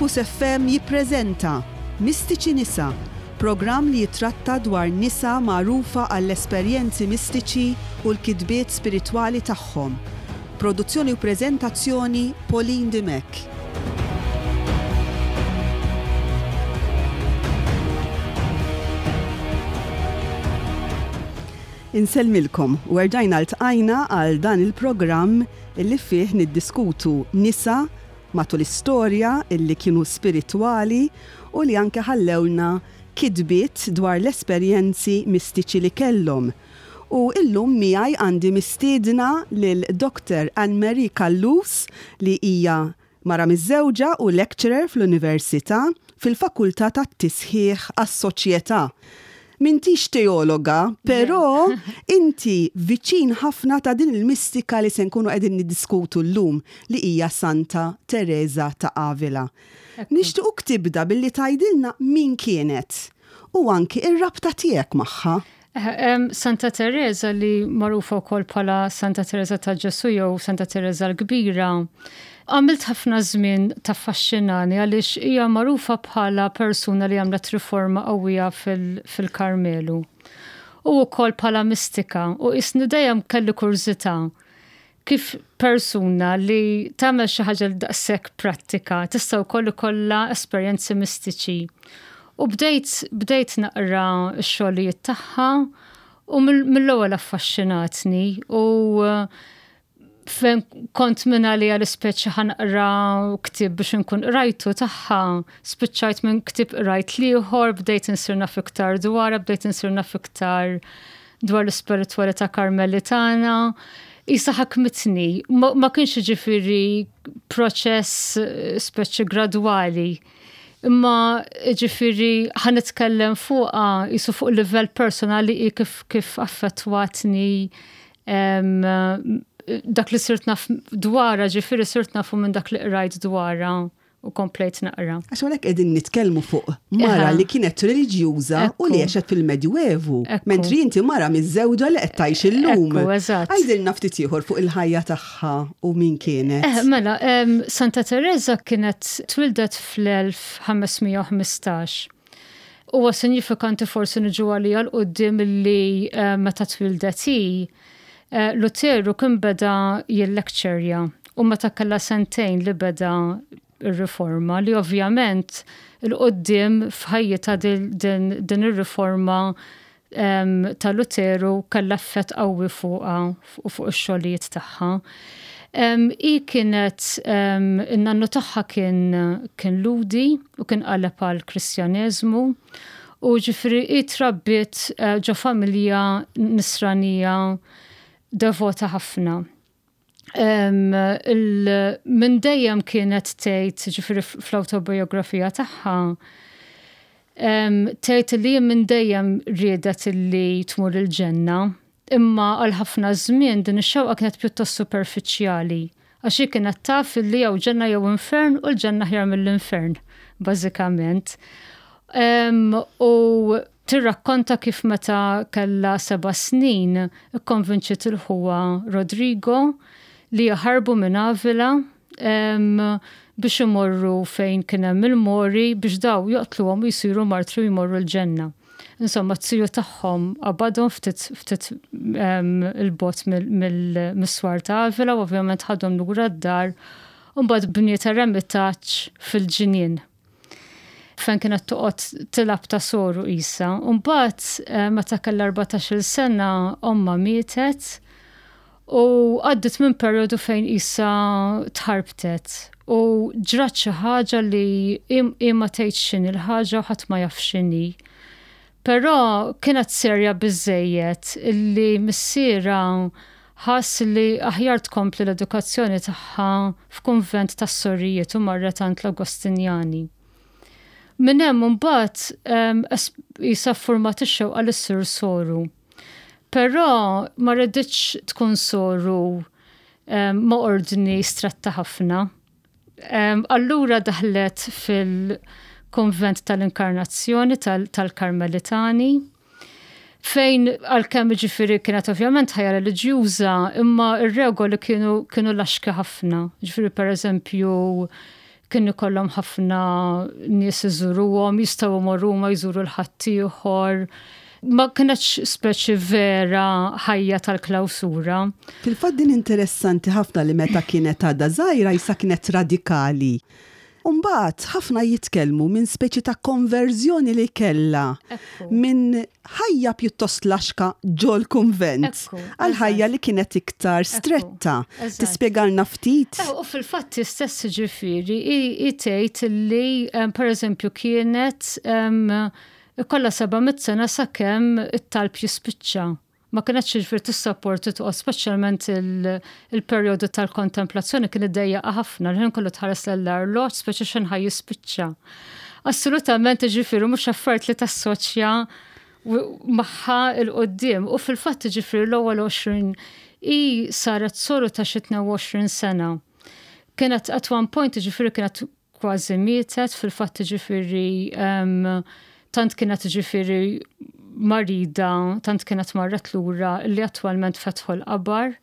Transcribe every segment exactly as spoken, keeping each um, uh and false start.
Campus F M jippreżenta Mistiċi Nisa, programm li jitratta dwar nisa magħrufa għall-esperjenzi mistiċi u l-kitbiet spiritwali tagħhom. Produzzjoni u preżentazzjoni, Pauline Dimech. Insellmilkom u erġajna ltqajna għal dan il-programm illi fih niddiskutu nisa matul istorja illi kienu spiritwali u li anke ħallewna kitbiet dwar l-esperjenzi mistiċi li kellhom. U illum miegħi għandi mistiedna lil Doktor Anne-Marie Callus, li hija mara miżżewġa u lecturer fl-Università fil-Fakultà tat-Tisħiħ għas-Soċjetà. M'intix teologa, però inti viċin ħafna ta' din il-mistika li se nkunu qegħdin niddiskutu llum, li hija Santa Teresa ta' Avila. Nixtiequk tibda billi tgħidilna min kienet u anki ir-rabta tiegħek magħha. Eh, Santa Teresa, li magħrufa wkoll bħala Santa Teresa ta' Ġesu jew Santa Teresa l-Kbira, għamilt ħafna żmien taffaxxinani għaliex hija magħrufa bħala persuna li għamlet riforma qawwija fil-Karmelu. U wkoll bħala mistika, u jisni dejjem kelli kurżità kif persuna li tagħmel xi ħaġa li daqshekk prattika tista' wkoll ikollha esperjenzi mistiċi. U bdejt bdejt naqra x-xogħlijiet tagħha u mill-ewwel affaxxinatni, u fejn kont minn għalija l-ispeċi ħa naqra ktieb biex nkun qrajtu tagħha, spiċċajt minn ktieb qrajt l-ieħor, bdejt insir naf iktar dwarha, bdejt insir naf iktar dwar l-ispiritwalità karmelitana. Isa ħakmitni, ma, ma kienx ġifieri proċess speċi gradwali. Imma ġifieri ħa nitkellem fuqha jisu fuq livell personali i kif, kif affettwatni em, dak li sirt naf dwarha, ġifieri sirt nafu minn dak li qrajt dwarha u komplejt naqra. Għax għalhekk qegħdin nitkellmu fuq mara Eħe. li kienet reliġjuża u li Ekku. għexet fil-Medjuevu. Ekku. Mentri inti mara miżżewġa li qed tgħix illum. Ekku, eżatt. Għidilna ftit ieħor fuq il-ħajja tagħha u min kienet. Eh, mela, em, Santa Teresa kienet twildet fl-elf ħames mija u ħmistax. Huwa sinifikanti, forsi niġu għalija 'l quddiem, li eh, meta twildet hi, eh, Luteru kien beda jillekċerja u meta kellha sentejn li beda ir-riforma, li ovvjament 'il quddiem f'ħajjitha din, din, din ir-riforma em, ta' Luteru kellha effett qawwi fuqha u fuq ix-xogħlijiet tagħha. Um, i kienet, um, in-nannu tagħha kien, kien Lhudi u kien qaleb għal Kristjaneżmu u ġifieri i trabbiet uh, ġo familja nisranija devota ħafna. Um, il, minn dejjem kienet tgħid, ġifieri fl-autobiografija tagħha, um, tgħid li minn dejjem riedet li tmur il-ġenna, imma għal ħafna żmien din ix-xewqa kienet pjuttost superfiċjali, għax hi kienet taf li jew ġenna jew infern, u l-ġenna aħjar mill-infern, bażikament. Um, u tirrakkonta kif meta kellha seba' snin ikkonvinċiet lil ħuha Rodrigo li jaħarbu minn Avila um, biex imorru fejn kien hemm il-Mori biex daw joqtluhom u jsiru martri u jmorru l-ġenna. Insomma, t-tiju tagħhom qabadhom ftit ftit um, 'il bogħod mill-swar ta' Avila u ovvjament ħadhom lura d-dar u mbagħad bniet eremitaġġ fil-ġinien fejn kienet toqgħod tilgħab ta' soru isa. U mbagħad eh, meta kellha erbatax-il sena omma mietet u għaddit minn perjodu fejn isa tħarbtet u ġrat xi ħaġa li hi ma tgħidx x'inhi l-ħaġa u ħadd ma jaf x'inhi. Però kienet serja biżejjed illi missiera ħass li aħjar tkompli l-edukazzjoni tagħha f'kunvent tas-sorijiet u marret għand l-Agostinjani. Minn hemm imbagħad isa format ix-xewqa li ssir soru. Però ma riditx tkun soru ma' ordni stretta ħafna. Allura daħlet fil-konvent tal-Inkarnazzjoni tal-Karmelitani, fejn għalkemm ġifieri kienet ovvjament ħajja reliġjuża, imma ir-regoli kienu kienu laxki ħafna. Ġifieri, per eżempju, Kien ikollhom ħafna nies iżuruhom, jistgħu jmorru ma jżuru l-ħaddieħor. Ma kienx speċi vera ħajja tal-klawsura. Fil-fatt din interessanti ħafna li meta kienet għadha żgħira jisa kienet radikali. Umbagħad ħafna jitkellmu minn speċi ta' konverżjoni li kella minn ħajja pjuttost laxka ġol kunvent għal ħajja li kienet iktar stretta. Tispjegalna ftit? U fil-fatt stess, ġifieri, tgħid li per eżempju kienet kollha seba' mitt sena sakemm it-talb jispiċċa. Ma kienx ġifieri tissapporti toqgħod, speċjalment il-perjodu tal-kontemplazzjoni kien iddejjaqha ħafna, l-ħin kollu tħares l-arloġġ, speċi x'ħin ħa jispiċċa. Assolutament, ġifieri, mhux affarijiet li tassoċja magħha 'l quddiem. U fil-fatt, ġifieri, l-ewwel għoxrin i saret soru ta' xi tnejn u għoxrin sena. Kienet at one point, ġifieri, kienet kważi mietet, fil-fatt, ġifieri, tant kienet, ġifieri, marida, tant kienet marret lura li attwalment fetħu l-qabar.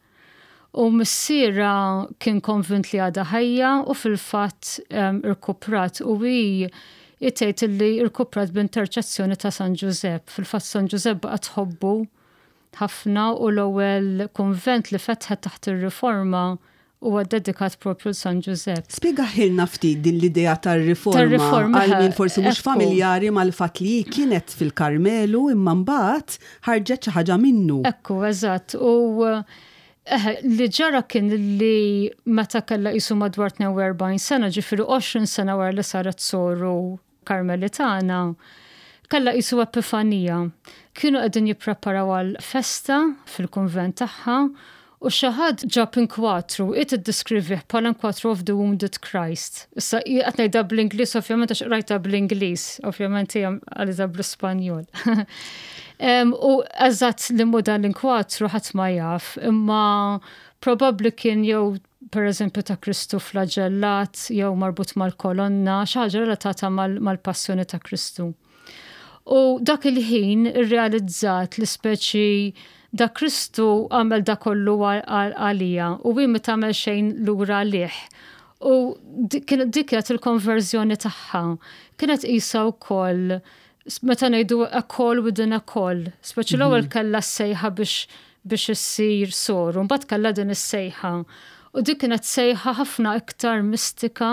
U missierha kien konvint li għadha ħajja u fil-fatt irkuprat u hi tgħid li irkuprat b'interċessjoni ta' San Ġużepp. Fil-fatt San Ġużepp baqgħet tħobbu ħafna u l-ewwel konvent li fetħet taħt ir-riforma huwa dedikat propju San Ġużepp. Spjegahielna ftit din l-idea tar-riforma għal min forsi mhux familjari mal-fatt li kienet fil-Karmelu imma mbagħad ħarġet xi ħaġa minnu. Ekku, eżatt. U eh, li ġara kien li meta kellha qisu madwar tnejn u erbgħin sena, ġifieri għoxrin sena wara li saret soru Karmelitana, kellha qisu epifanija. Kienu qegħdin jippreparaw għal festa fil-kunvent tagħha u xi ħadd ġab inkwatru, it iddiskrivih bħala inkwatru of the Wounded Christ. Issa, qed ngħidha bl-Ingliż, ovvjament, għax rajta bl-Ingliż, ovvjament hija għalita bl-Ispanjol. U eżatt li mu dan l-inkwatru ħadd ma jaf, imma probabbli kien jew per eżempju ta' Kristu flagellat, jew marbut mal-kolonna, xi ħaġa relatata mal-passjoni ta' Kristu. U dak il-ħin irrealizzat li speċi da Kristu għamel da kollu għalija u hi ma tagħmel xejn lura għalih. U dik kienet il-konverżjoni tagħha. Kienet qisha wkoll meta ngħidu a call within a call. Speċi l-ewwel mhm. kellha sejħa biex biex issir soru, mbagħad kellha din is-sejħa. U dik kienet sejħa ħafna iktar mistika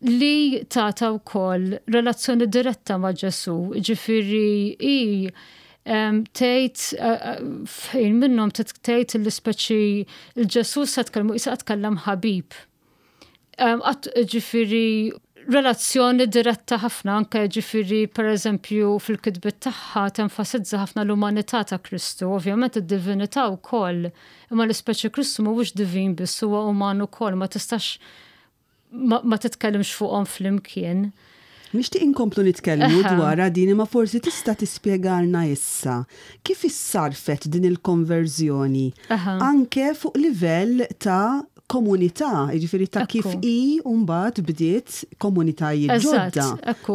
li tata wkoll relazzjoni diretta ma' Ġesu, ġifieri i tgħid eh, eh, fejn minnhom tgħid l-ispeċi il-Ġesu sa tkellmu isa tkellem ħabib. Ġifieri relazzjoni diretta ħafna, anke ġifieri per eżempju fil-kitbiet tagħha tenfasizza ħafna l-umanità ta' Kristu, ovvjament id-divinità wkoll, imma l-ispeċi Kristu mhuwiex divin biss, huwa uman ukoll, ma tistax ma, ma titkellimx fuqhom flimkien. Nixtieq inkomplu nitkellmu dwar din, imma forsi tista' tispjegalna issa kif issarfet din il-konverżjoni anke fuq livell ta' komunità, jiġifieri ta' kif i mbagħad bdiet komunitajiet ġodda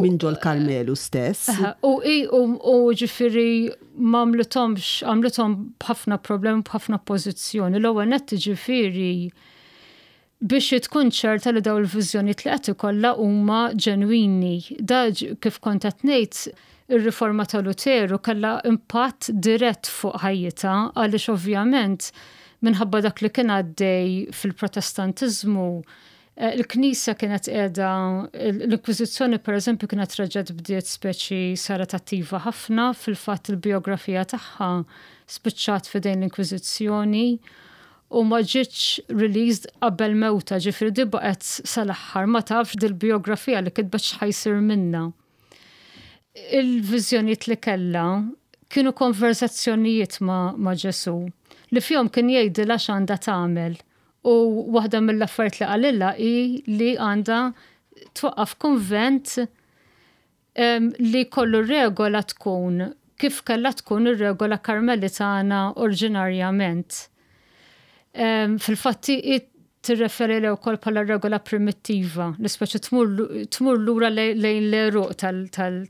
minn ġol Karmelu stess. U i u ġifieri m'għamlithomx, għamlithom b'ħafna problemi, b'ħafna pożizzjoni. L-ewwel nett, ġifieri, biex tkun ċerta li daw il-viżjonijiet li qed ikollha huma ġenwini. Da kif kont qed ngħid, ir-riforma ta' Luteru kellha impatt dirett fuq ħajjitha għaliex ovvjament minħabba dak li kien għaddej fil-Protestantiżmu, eh, il-Knisja kienet qiegħda, l-Inkwiżizzjoni per eżempju kienet reġgħet bdiet, speċi saret attiva ħafna. Fil-fatt il-biografija tagħha spiċċat f'idejn l-Inkwiżizzjoni u ma ġietx released qabel mewta, ġifieri di baqgħet sal-aħħar ma tafx dil-biografija li kitbet x'ħa jsir minna. Il-viżjonijiet li kellha kienu konverzazzjonijiet ma, ma Ġesu li fihom kien jgħidilha x'għandha tagħmel. U waħda mill-affarijiet li qalilha hi li għandha twaqqaf konvent li kollu regola tkun kif kellha tkun ir-regola Karmelitana oriġinarjament. Fil-fatti tirreferi li wkoll bħala regola primittiva, li speċi tmur lura lejn l-għeruq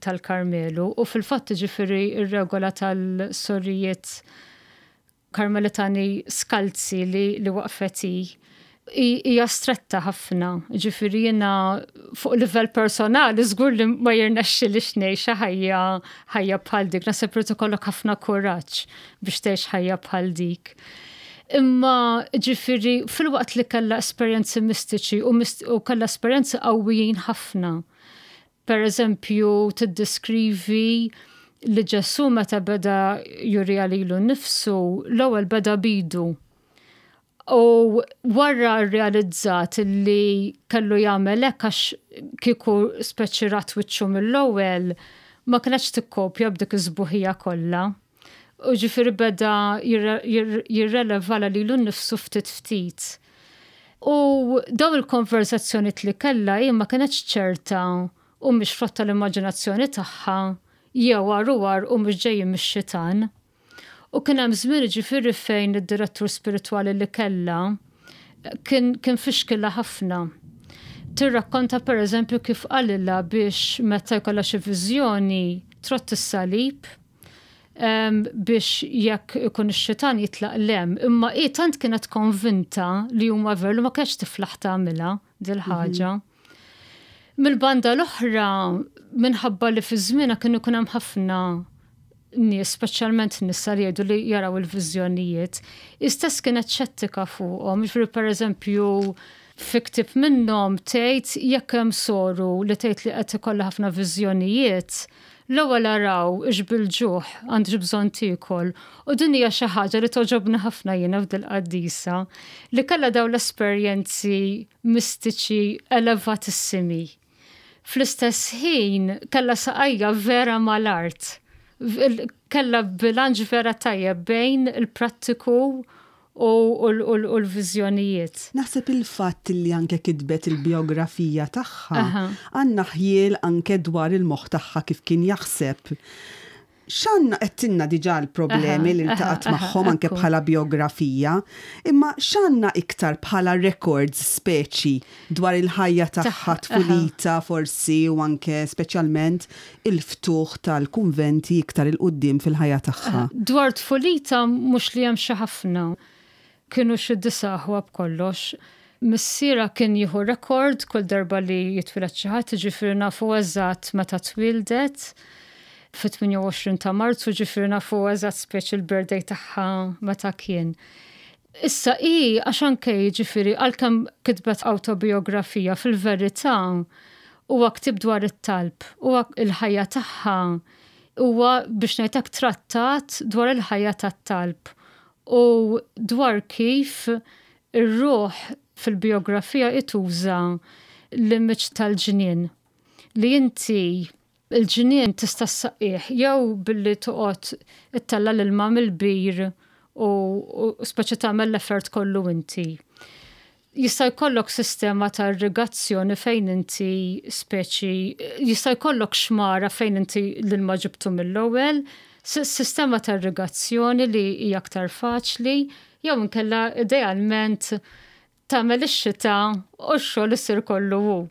tal-Karmelu u fil-fatt, ġifieri, ir-regola tal-sorijiet Karmelitani skalzi li, li waqfet Hija stretta ħafna. Ġifieri jiena fuq livell personali żgur li ma jirnexxilix ngħix ħajja ħajja bħal dik. Naħseb irid ikollok ħafna kuraġġ biex tgħix ħajja bħal dik. Imma ġifieri filwaqt li kellha esperjenzi mistiċi u, u kellha esperjenzi qawwijin ħafna. Per eżempju, tiddiskrivi li Ġesu meta beda jurija lilu nnifsu, l-ewwel beda b'idu. U wara realizzat li kellu jagħmel hekk għax kieku speċi rat wiċċu mill-ewwel ma kienx tikkopja b'dik iż-sbuħija kollha. U ġifieri beda jirrivela lilu nnifsu ftit ftit. U daw il-konverzazzjoni li kellha hi ma kienx ċerta humiex frott l-immaġinazzjoni tagħha jew għaruwar u mhux ġejjin mix-xitan. U kien hemm żmien, ġifieri, fejn id-direttur spiritwali li kellha kien, kien fixkilha ħafna. Tirrakkonta, per eżempju, kif qalilha biex meta jkollha xi viżjoni trott is-salib biex jekk ikun ix-xitan jitlaq 'l hemm. Imma hi tant kienet konvinta li huma veru, ma kienx tiflaħ tagħmilha dil-ħaġa. Mm -hmm. Mill-banda l-oħra, minħabba li fi żmienha kienu ikun hemm ħafna nies, speċjalment nisa li jgħidu li jaraw il-viżjonijiet, istess kienet xettika fuqhom. Ġifieri, per eżempju, fi ktieb minnhom tgħid jekk hemm soru li tgħid li qed ikollha ħafna viżjonijiet, l-ewwel araw hix bil-ġuħ, għandhiex bżonn tiekol. U din hija xi ħaġa li togħġobni ħafna jiena f'dil-qaddisa, li kellha dawn l-esperjenzi mistiċi elevatissimi. Fl-istess ħin kellha saqajja vera mal-art. Kellha bilanċ vera tajjeb bejn il-prattiku u l-viżjonijiet. Naħseb il-fatt li anke kitbet il-biografija tagħha għandna ħjiel anke dwar il-moħħ tagħha kif kien jaħseb. X'għandna għedtilna diġà l-problemi li ltaqgħet magħhom anke bħala biografija, imma x'għandna iktar bħala records speċi dwar il-ħajja tagħha, tfulita forsi u anke speċjalment il-ftuħ tal-kunventi iktar 'il quddiem fil-ħajja tagħha? Dwar tfulita mhux li hemm xi ħafna. Kienu xi disa' aħwa b'kollox. Missierha kien jieħu rekord kull darba li jitwieled xi ħadd, ġifieri nafu eżatt meta twildet fit-tmienja u għoxrin ta' Marzu, ġifieri nafu eżatt speċi l-birthday tagħha meta kien. Issa i, għax anke ġifieri għalkemm kitbet autobiografija, fil-verità huwa ktib dwar it-talb, huwa il-ħajja tagħha, huwa biex ngħidlek trattat dwar il-ħajja tat-talb u dwar kif ir-ruħ. Fil-biografija tuża l-image tal-ġnien li inti il-ġnien tista' ssaqqih jew billi toqgħod ittella' l-ilma mill-bir u, u speċi tagħmel l-effort kollu inti. Jista' jkollok sistema ta' irrigazzjoni fejn inti speċi jista' jkollok xmara fejn inti l-ilma ġibtu mill-ewwel, sistema ta' irrigazzjoni li hija aktar faċli, jew inkella idealment tagħmel ix-xita u x-xogħol isir kollu hu.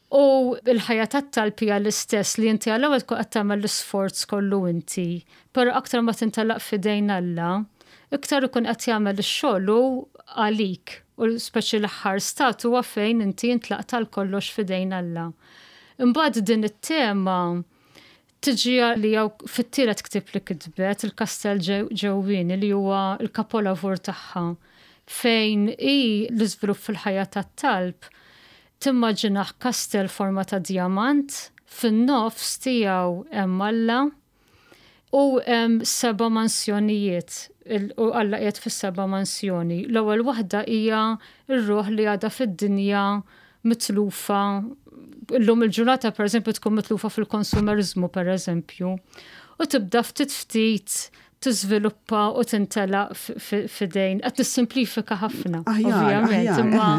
U il-ħajja tat-talb hija l-istess, li inti għall-ewwel tkun qed tagħmel l-isforz kollu inti, però aktar ma tintalaq f'idejn Alla, iktar ikun qed jagħmel ix-xogħol għalik u speċi l-aħħar stat huwa fejn inti intlaqt għal kollox f'idejn Alla. Imbagħad din it-tema tiġi li jew fit-tielet ktieb li kitbet, Il-Kastell Ġewwieni, li huwa l-kapolavur tagħha, fejn i l-iżvilupp fil-ħajja tat-talb timmaġinaħ kastell forma ta' diamant, fin-nofs tiegħu hemm Alla u hemm seba' mansjonijiet u Alla qiegħed fis-seba' mansjoni. L-ewwel waħda hija r-ruħ li għadha fid-dinja mitlufa, illum il-ġurnata, per eżempju, tkun mitlufa fil-konsumerizmu, per eżempju. U tibda ftit ftit tiżviluppa u tintelaq f'idejn. Qed nissimplifika ħafna, ovvjament, imma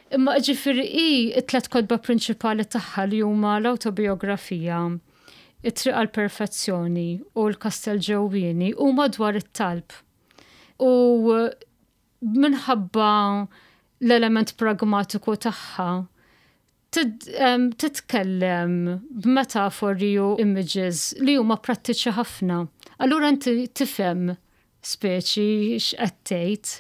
Imma ġifieri i it-tlet kotba prinċipali tagħha, li huma l-autobiografija, It-Triq għal Perfezzjoni u l-Kastell Ġewwieni, huma dwar it-talb. U minħabba l-element pragmatiku tagħha titkellem b'metafori u images li huma prattiċi ħafna. Allura inti tifhem speċi x'qed tgħid.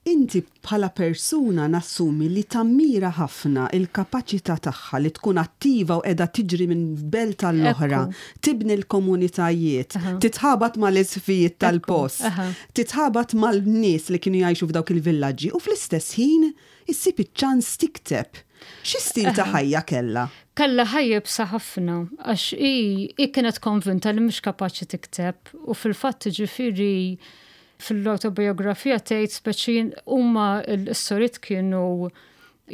Inti bħala persuna nassumi li tammira ħafna il-kapaċità tagħha li tkun attiva u qiegħda tiġri minn belt għall-oħra, tibni l-komunitajiet, titħabat mal-isqfijiet tal-post, titħabat mal-nies li kienu jgħixu f'dawk il-villaġġi u fl-istess ħin issib iċ-ċans tikteb. Xi stil ta' ħajja kellha? Kellha ħajja iebsa ħafna, għax hi kienet konvinta li mhux kapaċi tikteb u fil-fatt, ġifieri, fil-autobiografija tgħid speċi huma l-sorijiet kienu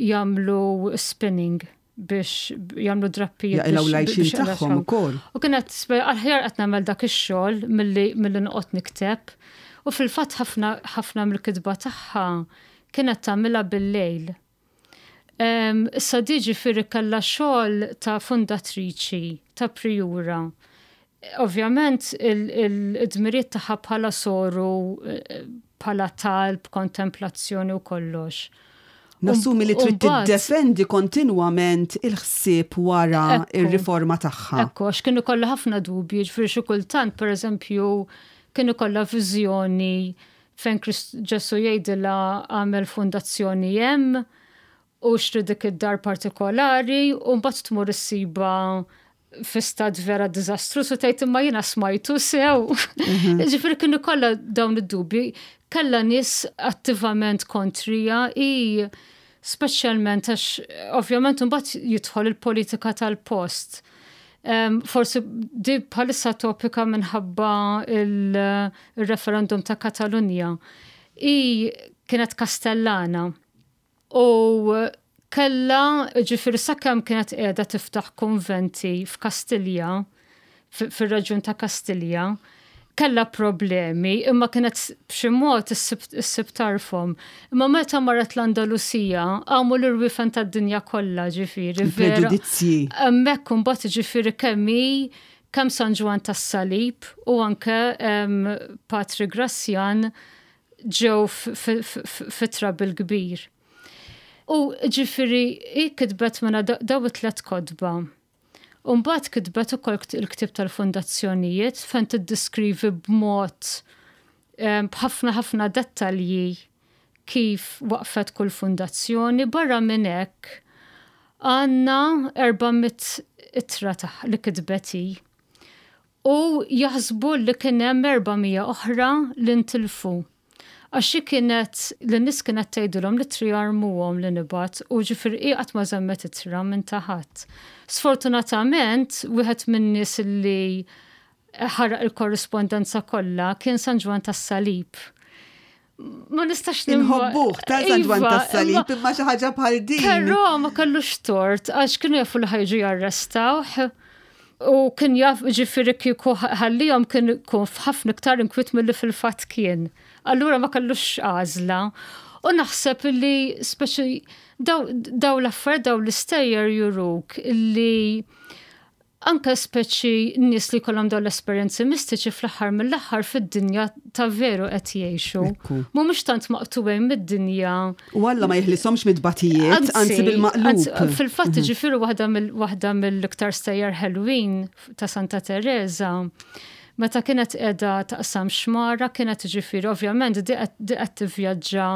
jagħmlu spinning biex jagħmlu drappijiet. Jaqilgħu l-għajxien tagħhom ukoll. U kienet aħjar qed nagħmel dak ix-xogħol milli milli noqgħod nikteb. U fil-fatt ħafna ħafna mill-kitba tagħha kienet tagħmilha bil-lejl. Issa di ġifieri kellha xogħol ta' fundatriċi, ta' prijura. Ovvjament il-dmiriet tagħha bħala soru, bħala talb, kontemplazzjoni u kollox. Nassumi li trid tiddefendi kontinwament il-ħsieb wara ir-riforma tagħha. Ekku, għax kienu kollha ħafna dubji, ġifieri xi kultant, pereżempju, kienu kollha viżjoni fejn Ġesu jgħidilha għamel fundazzjoni hemm u xtri dik id-dar partikolari u mbagħad tmur issiba fi stat vera diżastruż u tgħid, "Imma jiena smajtu sew?" Mhm. Ġifieri kienu kollha dawn id-dubji. Kellha nies attivament kontrija i speċjalment għax ovvjament mbagħad jidħol il-politika tal-post. Um, forsi di bħalissa topika minħabba il-referendum ta' Katalunja. I kienet Kastellana u kella, ġifieri, sakemm kienet qiegħda tiftaħ konventi f'Kastilja, fir-reġjun ta' Kastilja, kella problemi, imma kienet b'xi mod issib tarfhom. Imma meta marret l-Andalusija, għamu l-irwifen tad-dinja kollha, ġifieri. Preġudizzji. Hemmhekk imbagħad, ġifieri, kemm kemm San Ġwann tas-Salib u anke Patri Grazzjan ġew fi trouble kbir. U ġifieri, i kitbet minna daw it-tlet kotba. U mbagħad kitbet ukoll il-ktib tal-fundazzjonijiet fejn tiddiskrivi b'mod b'ħafna ħafna dettalji kif waqfet kull fundazzjoni. Barra minn hekk għandna erba' mitt ittra li kitbet hi. U jaħsbu li kien hemm erba' mija oħra li ntilfu. Għax kienet, l-nies kienet tgħidilhom li tri jarmuhom li nibgħat u ġifieri qatt ma żammet ittra minn ta' ħadd. Sfortunatament, wieħed minn nies li ħaraq il-korrispondenza kollha kien San Ġwann tas-Salib. Ma nistax. Inħobbuh ta' San Ġwann iva, tas-Salib, imma xi ħaġa bħal din. Però ma kellux tort għax kienu jafu li ħa jiġu jarrestawh. U kien jaf, ġifieri, kieku ħallihom kien kun f'ħafna iktar inkwiet milli fil-fatt kien. Allura ma kellux għażla. U naħseb li speċi daw, daw l-affarijiet, daw l-istejjer juruk li anka speċi nies li kollhom daw l-esperjenzi mistiċi fl-aħħar mill-aħħar fid-dinja ta' veru qed jgħixu. Mhumiex tant maqtugħin mid-dinja. U Alla ma jeħlishomx mid-batijiet, anzi bil-maqlub. Fil-fatt mhm. ġifieri waħda mill-iktar stejjer ħelwin ta' Santa Teresa, meta kienet qiegħda taqsam xmara, kienet, ġifieri, ovvjament di qed tivvjaġġa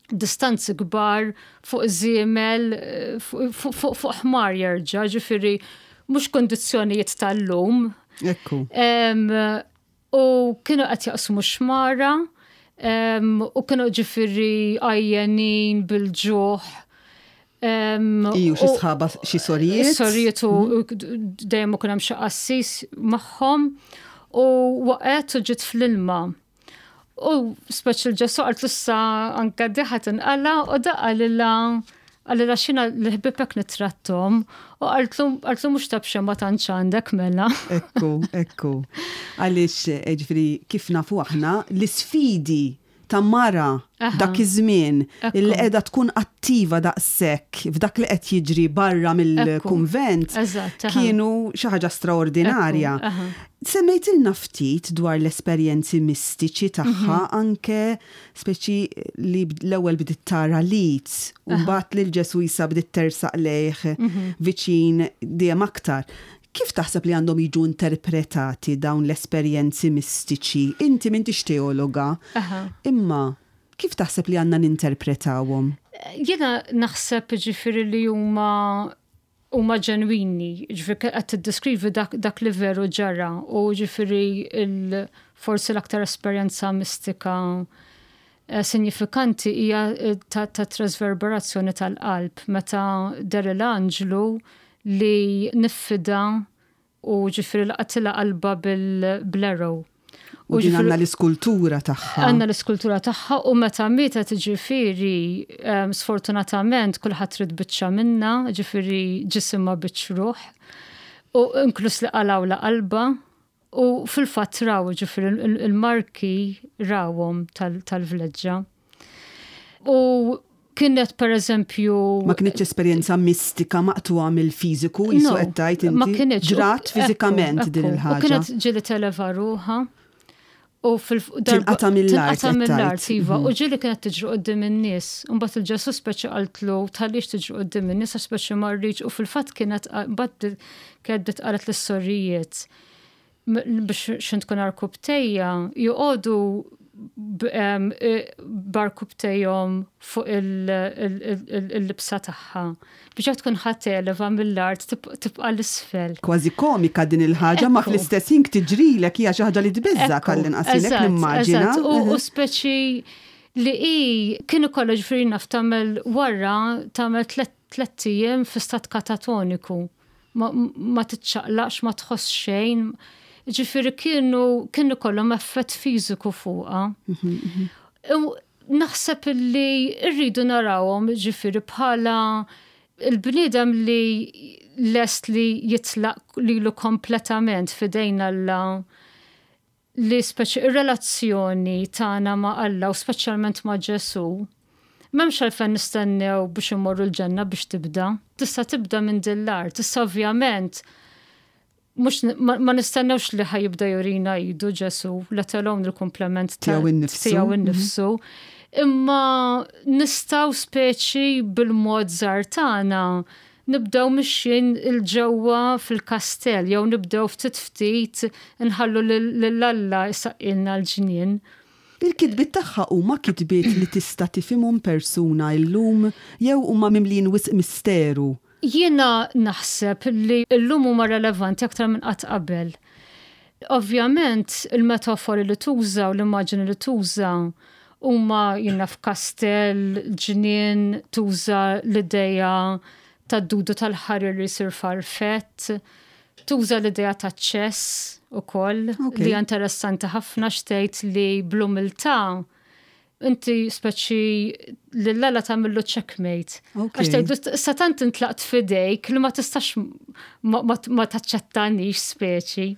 distanzi kbar fuq żiemel, fuq ħmar jerġa', ġifieri mhux kondizzjonijiet tal-lum. Ekku. U kienu qed jaqsmu xmara u kienu, ġifieri, għajjenin bil-ġuħ. Iju, xi sħaba, xi sorijiet. Sorijiet u mhm. dejjem kien hemm xi qassis magħhom u waqgħet u ġiet fl-ilma. U speċi l-Ġesu qalt issa anka di ħa tinqala' u daqqa lilla qalilha, "Xina l-ħbibek nittrattom?" U qaltlu, "Mhux ta' b'xejn ma tantx għandek mela." Ekku, ekku. Għaliex, eh, ġifieri, kif nafu aħna, l-isfidi ta' mara dak iż-żmien illi qiegħda tkun attiva daqshekk f'dak li qed jiġri barra mill-kunvent kienu xi ħaġa straordinarja. Semmejtilna ftit dwar l-esperjenzi mistiċi tagħha, mhm. anke speċi li l-ewwel bdiet tara l-id u mbagħad lil Ġesu jisa bdiet tersaq lejh mhm. viċin dejjem aktar. Kif taħseb li għandhom jiġu interpretati dawn l-esperjenzi mistiċi? Inti m'intix teologa, imma Kif taħseb li għandna ninterpretawhom? Jiena naħseb, ġifieri, li huma huma ġenwini, ġifieri qed tiddeskrivi dak, dak li veru ġara u ġifieri il, forsi l-aktar esperjenza mistika eh, sinifikanti hija eh, ta', ta trasverberazzjoni tal-qalb meta deher l-anġlu li niffida u ġifieri laqatilha qalba bil-arrow. U din għandna l-iskultura tagħha. Għandna l-iskultura tagħha u meta mietet, ġifieri, sfortunatament kulħadd ried biċċa minnha, ġifieri ġisimha biċ ruħ. U inkluż li qalgħulha qalbha u fil-fatt raw, ġifieri, il-marki rawhom tal-vleġġa. U kienet, per eżempju. Ma kienx esperjenza mistika maqtugħa mill-fiżiku, jisu qed tgħid inti. Ma kienx. Ġrat fiżikament din il-ħaġa. U kienet ġieli televa ruħha. U fil- mill-art. Tinqata mill-art, iva. U ġieli kienet tiġri quddiem in-nies. Mbagħad il-Ġesu speċi qaltlu tħallix tiġri quddiem in-nies għax speċi ma rridx, u fil-fatt kienet mbagħad kienet qalet lis-sorijiet biex x'ħin tkun għarkupptejha joqogħdu b'għarkupptejhom fuq il-libsa tagħha biex tkun ħa televa mill-art tibqa' l-isfel. Kważi komika din il-ħaġa, ma fl-istess ħin tiġrilek hija xi ħaġa li tbeżża', għall-inqas nimmaġina. U speċi li i kienu kollha, ġifieri naf tagħmel wara tagħmel tlett ijiem fi stat katatoniku. Ma titċaqlaqx, ma tħoss xejn. Ġifieri kienu kienu kollhom effett fiżiku fuqha. Mhm, mhm. Naħseb li rridu narawhom, ġifieri, bħala il-bniedem li lest li jitlaq lilu kompletament f'idejn Alla, li speċi ir-relazzjoni tagħna ma' Alla u speċjalment ma' Ġesu. M'hemmx għalfejn nistennew biex immorru l-ġenna biex tibda. Tista' tibda minn dil-art. Tista' ovvjament mux ma nistennewx li ħa jibda jurina idu Ġesu, let alone il-komplement tiegħu innifsu. Tiegħu innifsu. Imma nistgħu speċi bil-mod żgħar tagħna nibdew mixjin 'il ġewwa fil-kastell jew nibdew ftit ftit nħallu lil Alla jsaqqilna l-ġnien. Il-kitbiet tagħha huma kitbiet li tista' tifhimhom persuna llum jew huma mimlin wisq misteru? Jiena naħseb li llum huma relevanti aktar minn qatt qabel. Ovvjament il-metafori li tuża u l-immaġini li tuża huma jiena f'kastell, ġnien, tuża l-ideja tad-dudu tal-ħarir li jsir farfett, tuża l-ideja ta' ċess ukoll, Ok. li hija interessanti ħafna xtejt li bl-umiltà inti speċi lil Alla tagħmillu checkmate. Ok. Għax tgħidlu sa tant intlaqt f'idejk li ma tistax ma, ma, ma taċċettanix speċi.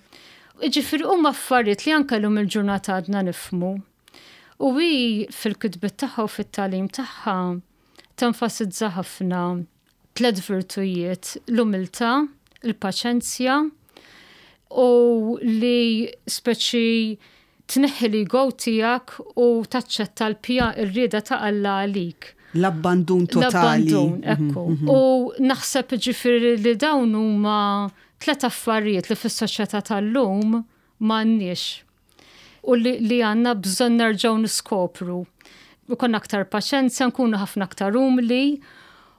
Ġifieri huma affarijiet li anke llum il-ġurnata għadna nifhmu. U hi fil-kitbiet tagħha u fit-tagħlim tagħha tenfasizza ħafna tliet virtujiet: l-umiltà, il-paċenzja u li speċi tneħħi l-ego tiegħek u taċċetta l-pja ir-rieda ta' Alla għalik. L-abbandun totali. L-abbandun, ekku. U naħseb, ġifieri, li dawn huma tlet affarijiet li fis-soċjetà tal-lum m'għandniex. U li, li għandna bżonn nerġgħu niskopru. U konna aktar paċenzja, nkunu ħafna aktar umli,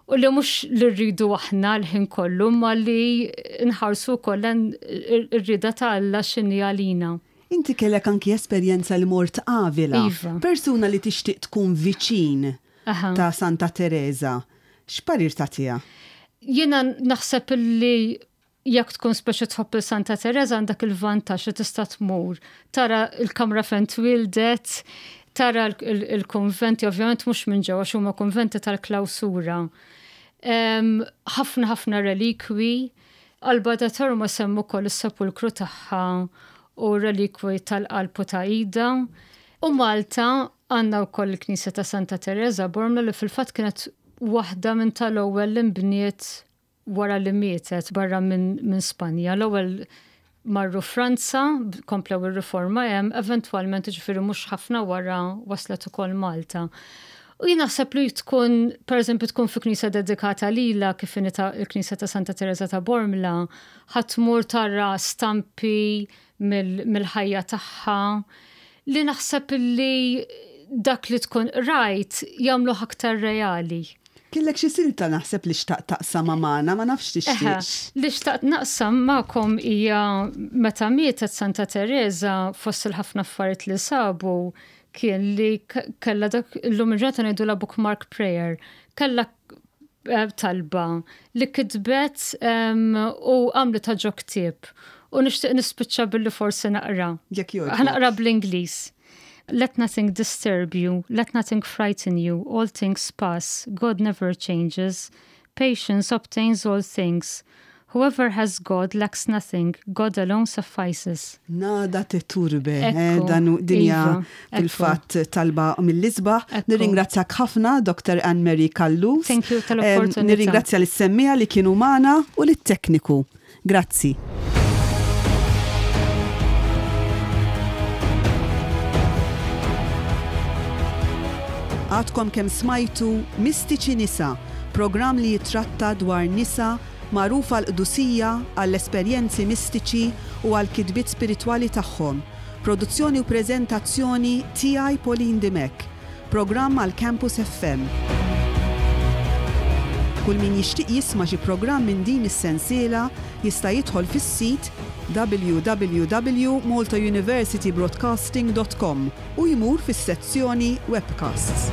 u li mhux li rridu aħna l-ħin kollu, ma li nħarsu kollha ir-rieda ta' Alla x'inhi għalina. Inti kellek anki esperjenza li mort Avila. Iva. Persuna li tixtieq tkun viċin Aha. ta' Santa Teresa. X'parir tagħtiha? Jiena naħseb li jekk tkun speċi tħobb il-Santa Teresa, għandek il-vantaġġ li tista' tmur. Tara il-kamra fejn twildet, tara il-konventi, ovvjament mhux minn ġewwa għax huma konventi tal-klawsura. Ħafna ħafna relikwi, Alba de Tormo hemm ukoll is-sepulkru tagħha u relikwi tal-qalb u ta' idha. U Malta għandna wkoll il-Knisja ta' Santa Teresa Bormla, li fil-fatt kienet waħda minn tal-ewwel li nbniet wara li mietet barra minn min Spanja. L-ewwel marru Franza, komplew ir-riforma hemm, eventwalment, ġifieri mhux ħafna wara, waslet ukoll Malta. U jien naħseb li tkun, per eżempju, tkun fi knisja dedikata lila kif inhi il-Knisja ta' Santa Teresa ta' Bormla, ħa tmur tara stampi mill-ħajja tagħha, li naħseb li Dak li tkun rajt jagħmlu aktar reali. Kellek xi silta naħseb li xtaqt taqsam magħna, ma nafx tixtieqx. Li xtaqt naqsam magħkom hija meta mietet Santa Teresa, fost il-ħafna affarijiet li sabu kien li kella dak illum il-ġurnata ngħidu la bookmark prayer. Kella eh, talba li kitbet u għamlitha ġo ktieb. U nixtieq nispiċċa billi forsi naqra. Jekk jogħġbok. Ħa naqra bl-Ingliż. Let nothing disturb you, let nothing frighten you, all things pass, God never changes. Patience obtains all things. Whoever has God lacks nothing, God alone suffices. Nada te turbe, eh, dan dinja iva, fil-fatt talba mill-isbaħ. Nirringrazzjak ħafna, Doctor Anne-Marie Callus. Thank you tal-opportunità. Nirringrazzja lis-semmiegħa li kienu magħna u lit-tekniku. Grazzi. Għadkom kemm smajtu Mistiċi Nisa, programm li jitratta dwar nisa magħrufa għall-qdusija, għall-esperjenzi mistiċi u għall-kitbiet spiritwali tagħhom. Produzzjoni u preżentazzjoni tiegħi, Pauline Dimech. Programm għal Campus F M. Kull min jixtieq jisma' xi programm minn din is-sensiela jista' jidħol fis-sit w w w punt maltauniversitybroadcasting punt com u jmur fis-sezzjoni Webcasts.